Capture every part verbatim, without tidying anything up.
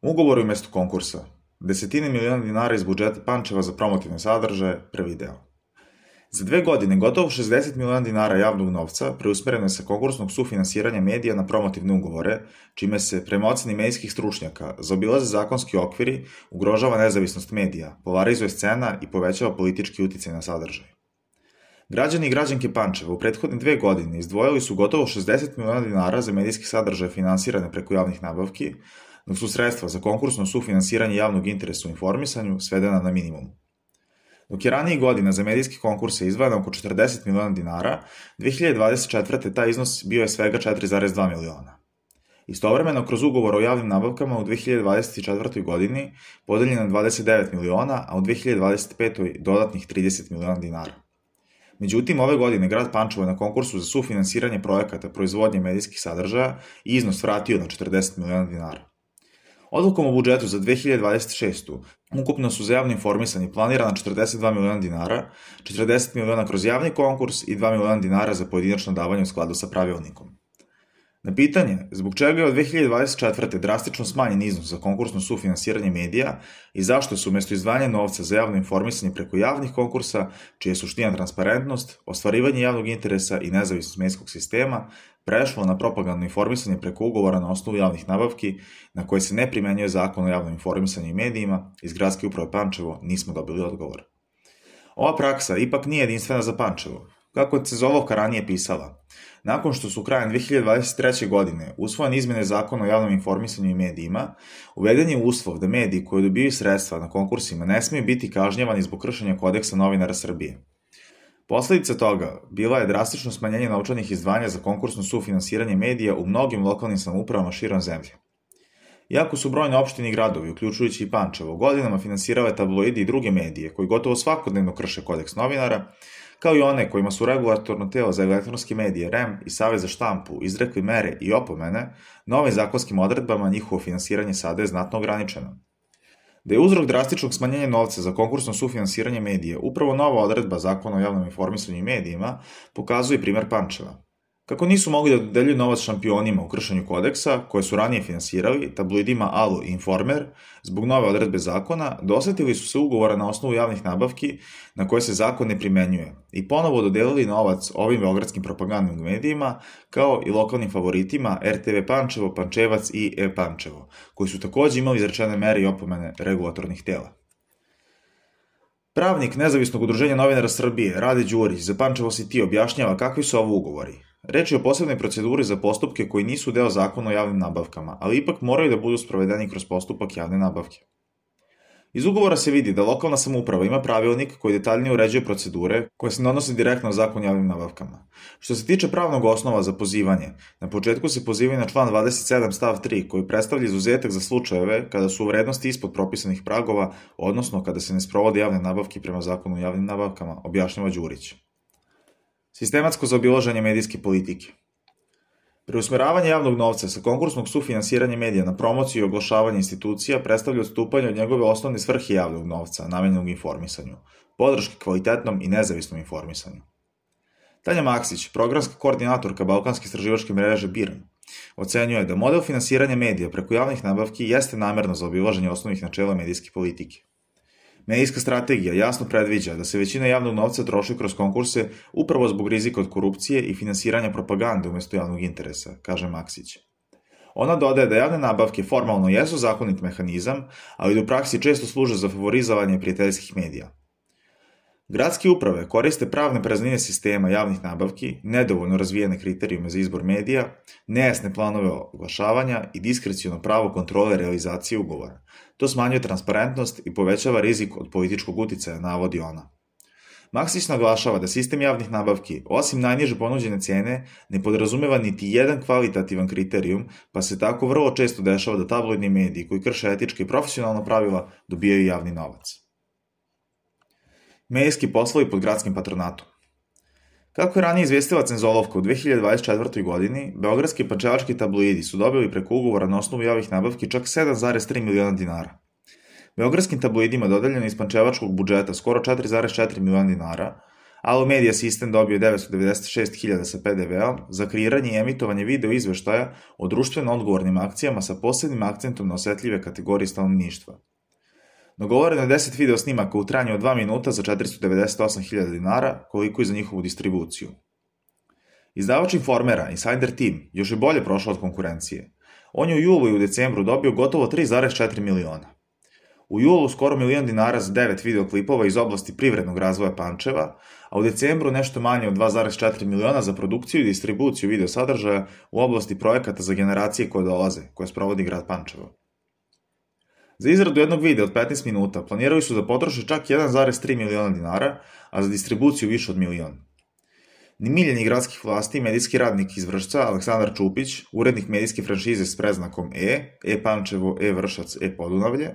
Ugovori umjesto konkursa. Desetine miliona dinara iz budžeta Pančeva za promotivne sadržaje, prvi deo. Za dve godine gotovo šezdeset miliona dinara javnog novca preusmereno je sa konkursnog sufinansiranja medija na promotivne ugovore, čime se, prema oceni medijskih stručnjaka, zaobilaze zakonski okviri, ugrožava nezavisnost medija, polarizuje scena i povećava politički uticaj na sadržaj. Građani i građanke Pančeva u prethodne dve godine izdvojili su gotovo šezdeset miliona dinara za medijski sadržaje finansirane preko javnih nabavki, dok su sredstva za konkursno sufinansiranje javnog interesa u informisanju svedena na minimum. Dok je ranijih godina za medijske konkurse izdvajano oko četrdeset miliona dinara, dve hiljade dvadeset četvrte taj iznos bio je svega četiri zarez dva miliona. Istovremeno, kroz ugovor o javnim nabavkama u dve hiljade dvadeset četvrtoj godini podeljeno je dvadeset devet miliona, a u dve hiljade dvadeset petoj dodatnih trideset miliona dinara. Međutim, ove godine grad Pančevo je na konkursu za sufinansiranje projekata proizvodnje medijskih sadržaja i iznos vratio na četrdeset miliona dinara. Odlukom o budžetu za dve hiljade dvadeset šestu ukupno su za javno informisanje planirana četrdeset dva miliona dinara, četrdeset miliona kroz javni konkurs i dva miliona dinara za pojedinačno davanje u skladu sa pravilnikom. Na pitanje zbog čega je od dve hiljade dvadeset četvrte drastično smanjen iznos za konkursno sufinansiranje medija i zašto su umjesto izdvajanja novca za javno informisanje preko javnih konkursa, čija je suština transparentnost, ostvarivanje javnog interesa i nezavisnost medijskog sistema, prešlo na propagandno informisanje preko ugovora na osnovu javnih nabavki, na koje se ne primenjuje zakon o javnom informisanju i medijima, iz Gradske uprave Pančevo nismo dobili odgovor. Ova praksa ipak nije jedinstvena za Pančevo. Kako je Cezolovka ranije pisala, nakon što su krajem dve hiljade dvadeset treće. godine usvojene izmene zakona o javnom informisanju i medijima, uveden je uslov da mediji koji dobiju sredstva na konkursima ne smiju biti kažnjavani zbog kršenja kodeksa novinara Srbije. Posledica toga bila je drastično smanjenje novčanih izdvajanja za konkursno sufinansiranje medija u mnogim lokalnim samoupravama širom zemlje. Iako su brojne opštine i gradovi, uključujući i Pančevo, godinama finansirale tabloidi i druge medije koji gotovo svakodnevno krše kodeks novinara, kao i one kojima su regulatorno telo za elektronske medije R E M i Savez za štampu izrekli mere i opomene, novim zakonskim odredbama njihovo finansiranje sada je znatno ograničeno. Da je uzrok drastičnog smanjenja novca za konkursno sufinansiranje medija upravo nova odredba zakona o javnom informisanju i medijima, pokazuje primer Pančeva. Kako nisu mogli da dodeljuju novac šampionima u kršenju kodeksa, koje su ranije finansirali, tabloidima Alu i Informer, zbog nove odredbe zakona, dosetili su se ugovora na osnovu javnih nabavki na koje se zakon ne primenjuje i ponovo dodelili novac ovim beogradskim propagandnim medijima, kao i lokalnim favoritima R T V Pančevo, Pančevac i E-Pančevo, koji su takođe imali izrečene mere i opomene regulatornih tela. Pravnik Nezavisnog udruženja novinara Srbije, Rade Đurić, za Pančevo City objašnjava kakvi su ovo ugovori. Reč je o posebnoj proceduri za postupke koji nisu deo zakona o javnim nabavkama, ali ipak moraju da budu sprovedeni kroz postupak javne nabavke. Iz ugovora se vidi da lokalna samouprava ima pravilnik koji detaljnije uređuje procedure koje se odnose direktno na zakon o javnim nabavkama. Što se tiče pravnog osnova za pozivanje, na početku se pozivaju na član dvadeset sedam stav tri koji predstavlja izuzetak za slučajeve kada su u vrednosti ispod propisanih pragova, odnosno kada se ne sprovode javne nabavke prema zakonu o javnim nabavkama, objašnjava Đurić. Sistematsko zaobilaženje medijske politike. Preusmeravanje javnog novca sa konkursnog sufinansiranja medija na promociju i oglašavanje institucija predstavlja odstupanje od njegove osnovne svrhe javnog novca, namenjenog informisanju, podrške kvalitetnom i nezavisnom informisanju. Tanja Maksić, programska koordinatorka Balkanske istraživačke mreže B I R N, ocenjuje da model finansiranja medija preko javnih nabavki jeste namerno zaobilaženje osnovnih načela medijske politike. Medijska strategija jasno predviđa da se većina javnog novca troši kroz konkurse upravo zbog rizika od korupcije i finansiranja propagande umjesto javnog interesa, kaže Maksić. Ona dodaje da javne nabavke formalno jesu zakonit mehanizam, ali da u praksi često služe za favorizovanje prijateljskih medija. Gradske uprave koriste pravne praznine sistema javnih nabavki, nedovoljno razvijene kriterijume za izbor medija, nejasne planove oglašavanja i diskreciono pravo kontrole realizacije ugovora. To smanjuje transparentnost i povećava rizik od političkog uticaja, navodi ona. Maksić naglašava da sistem javnih nabavki, osim najniže ponuđene cene, ne podrazumeva niti jedan kvalitativan kriterijum, pa se tako vrlo često dešava da tabloidni mediji koji krše etičke i profesionalna pravila dobijaju javni novac. Medijski poslovi pod gradskim patronatom. Kako je ranije izvestila Cezolovka, u dve hiljade dvadeset četvrtoj. godini, beogradski i pančevački tabloidi su dobili preko ugovora na osnovu javnih nabavki čak sedam zarez tri miliona dinara. Beogradskim tabloidima dodeljeno iz pančevačkog budžeta skoro četiri zarez četiri miliona dinara, Alo Media System dobio devetsto devedeset šest hiljada sa pe de veom za kreiranje i emitovanje video izveštaja o društveno odgovornim akcijama sa posebnim akcentom na osetljive kategorije stanovništva. Dogovoreno je deset video snimaka u trajanju od dva minuta za četiristo devedeset osam hiljada dinara, koliko i za njihovu distribuciju. Izdavač Informera, Insider Team, još je bolje prošao od konkurencije. On je u julu i u decembru dobio gotovo tri zarez četiri miliona. U julu skoro milion dinara za devet videoklipova iz oblasti privrednog razvoja Pančeva, a u decembru nešto manje od dva zarez četiri miliona za produkciju i distribuciju video sadržaja u oblasti projekata za generacije koje dolaze, koje sprovodi grad Pančevo. Za izradu jednog videa od petnaest minuta planirali su da potroše čak jedan zarez tri miliona dinara, a za distribuciju više od milion. Nemiljeni gradskih vlasti, medijski radnik iz Vršca, Aleksandar Čupić, urednik medijske franšize s preznakom E, E Pančevo, E Vršac, E Podunavlje,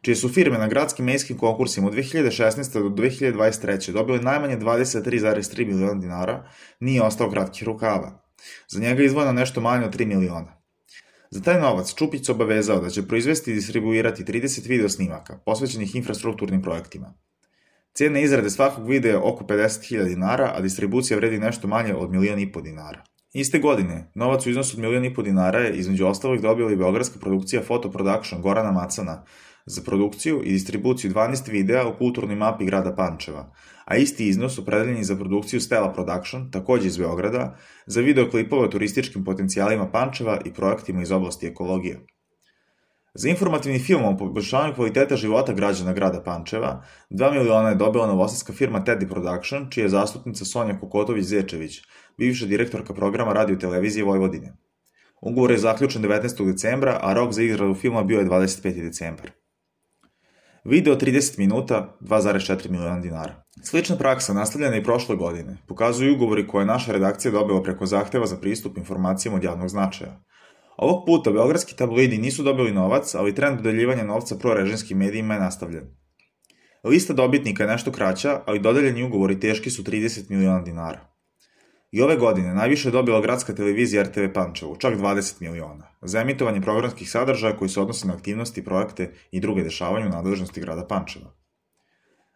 čije su firme na gradskim medijskim konkursima od dve hiljade šesnaeste do dve hiljade dvadeset treće dobile najmanje dvadeset tri zarez tri miliona dinara, nije ostao kratkih rukava. Za njega je izdvojeno nešto manje od tri miliona. Za taj novac Čupić se obavezao da će proizvesti i distribuirati trideset video snimaka, posvećenih infrastrukturnim projektima. Cena izrade svakog videa je oko pedeset hiljada dinara, a distribucija vredi nešto manje od milion i po dinara. Iste godine, novac u iznosu od milion i po dinara je između ostalog dobila i beogradska produkcija Photo Production Gorana Macana za produkciju i distribuciju dvanaest videa u kulturnoj mapi grada Pančeva, a isti iznos opredeljen je za produkciju Stella Production, takođe iz Beograda, za videoklipove o turističkim potencijalima Pančeva i projektima iz oblasti ekologije. Za informativni film o poboljšanju kvaliteta života građana grada Pančeva, dva miliona je dobila novosadska firma Teddy Production, čija je zastupnica Sonja Kokotović-Zečević, bivša direktorka programa Radio-televizije Vojvodine. Ugovor je zaključen devetnaestog decembra, a rok za izradu filma bio je dvadeset peti decembar. Video trideset minuta, dva zarez četiri miliona dinara. Slična praksa nastavljena i prošle godine pokazuju ugovori koje je naša redakcija dobila preko zahteva za pristup informacijama od javnog značaja. Ovog puta beogradski tabloidi nisu dobili novac, ali trend dodeljivanja novca prorežimskim medijima je nastavljen. Lista dobitnika je nešto kraća, ali dodeljeni ugovori teški su trideset miliona dinara. I ove godine najviše je dobila gradska televizija er te ve Pančevo, čak dvadeset miliona, za emitovanje programskih sadržaja koji se odnose na aktivnosti, projekte i druge dešavanja u nadležnosti grada Pančeva.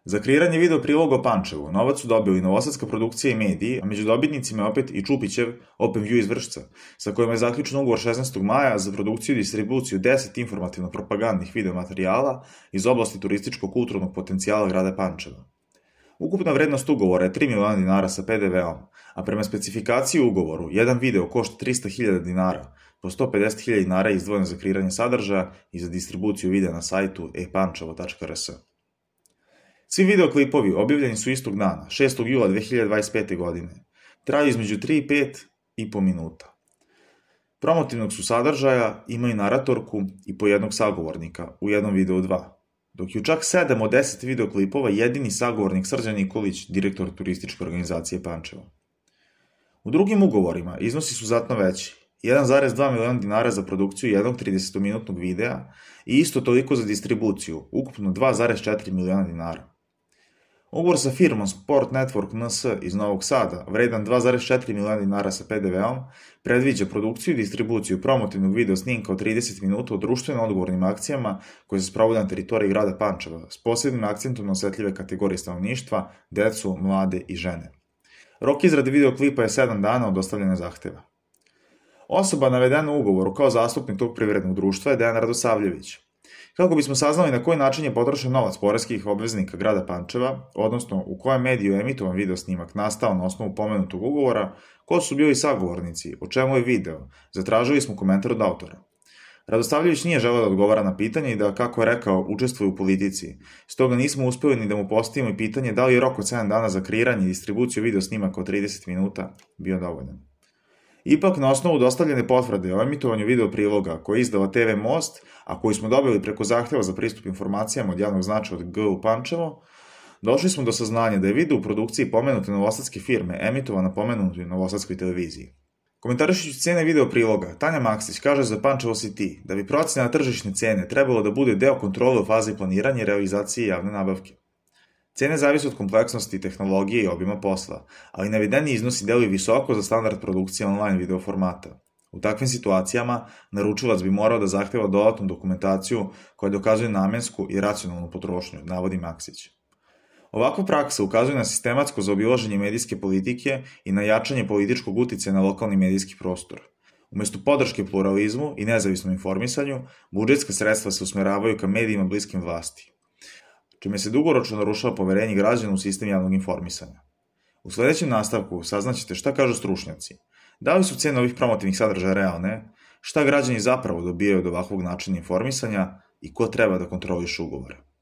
Za kreiranje video priloga o Pančevu novac su dobili novosadska produkcija i mediji, a među dobitnicima je opet i Čupićev OpenView iz Vršca, sa kojima je zaključen ugovor šesnaestog maja za produkciju i distribuciju deset informativno-propagandnih videomaterijala iz oblasti turističko-kulturnog potencijala grada Pančeva. Ukupna vrednost ugovora je tri miliona dinara sa pe de veom, a prema specifikaciji u ugovoru, jedan video košta trista hiljada dinara, po sto pedeset hiljada dinara je izdvojeno za kreiranje sadržaja i za distribuciju videa na sajtu e pančevo tačka er es. Svi videoklipovi objavljeni su istog dana, šestog jula dve hiljade dvadeset pete. godine. Traju između tri i pet i po minuta. Promotivnog su sadržaja, imaju naratorku i po jednog sagovornika, u jednom videu dva. Dok je u čak sedam od deset videoklipova jedini sagovornik Srđan Nikolić, direktor turističke organizacije Pančevo. U drugim ugovorima iznosi su znatno veći, jedan zarez dva miliona dinara za produkciju jednog tridesetominutnog videa i isto toliko za distribuciju, ukupno dva zarez četiri miliona dinara. Ugovor sa firmom Sport Network en es iz Novog Sada, vredan dva zarez četiri miliona dinara sa pe de veom, predviđa produkciju i distribuciju promotivnog video snimka od trideset minuta o društveno odgovornim akcijama koje se sprovode na teritoriji grada Pančeva, s posebnim akcentom na osetljive kategorije stanovništva, decu, mlade i žene. Rok izrade videoklipa je sedam dana od dostavljanja zahteva. Osoba navedena u ugovoru kao zastupnik tog privrednog društva je Dejan Radosavljević. Kako bismo saznali na koji način je potrošen novac poreskih obveznika grada Pančeva, odnosno u kojem mediju je emitovan video snimak nastao na osnovu pomenutog ugovora, ko su bili sagovornici, o čemu je video, zatražili smo komentar od autora. Radosavljević nije želeo da odgovara na pitanje i da, kako je rekao, učestvuje u politici, stoga nismo uspeli ni da mu postavimo i pitanje da li je rok od sedam dana za kreiranje i distribuciju video snimaka od trideset minuta bio dovoljan. Ipak, na osnovu dostavljene potvrde o emitovanju video priloga koje je izdala te ve Most, a koji smo dobili preko zahteva za pristup informacijama od javnog značaja od G U Pančevo, došli smo do saznanja da je video u produkciji pomenute novosadske firme emitovan na pomenutoj novosadskoj televiziji. Komentarišući cene video priloga, Tanja Maksić kaže za Pančevo City da bi procena tržišne cene trebalo da bude deo kontrole u fazi planiranja i realizacije javne nabavke. Cene zavise od kompleksnosti, tehnologije i obima posla, ali navedeni iznosi deluju visoko za standard produkcije online video formata. U takvim situacijama, naručilac bi morao da zahteva dodatnu dokumentaciju koja dokazuje namensku i racionalnu potrošnju, navodi Maksić. Ovakva praksa ukazuje na sistematsko zaobilaženje medijske politike i na jačanje političkog uticaja na lokalni medijski prostor. Umesto podrške pluralizmu i nezavisnom informisanju, budžetska sredstva se usmeravaju ka medijima bliskim vlasti, čime se dugoročno narušava poverenje građana u sistem javnog informisanja. U sledećem nastavku saznaćete šta kažu stručnjaci, da li su cene ovih promotivnih sadržaja realne, šta građani zapravo dobijaju od ovakvog načina informisanja i ko treba da kontroliše ugovore.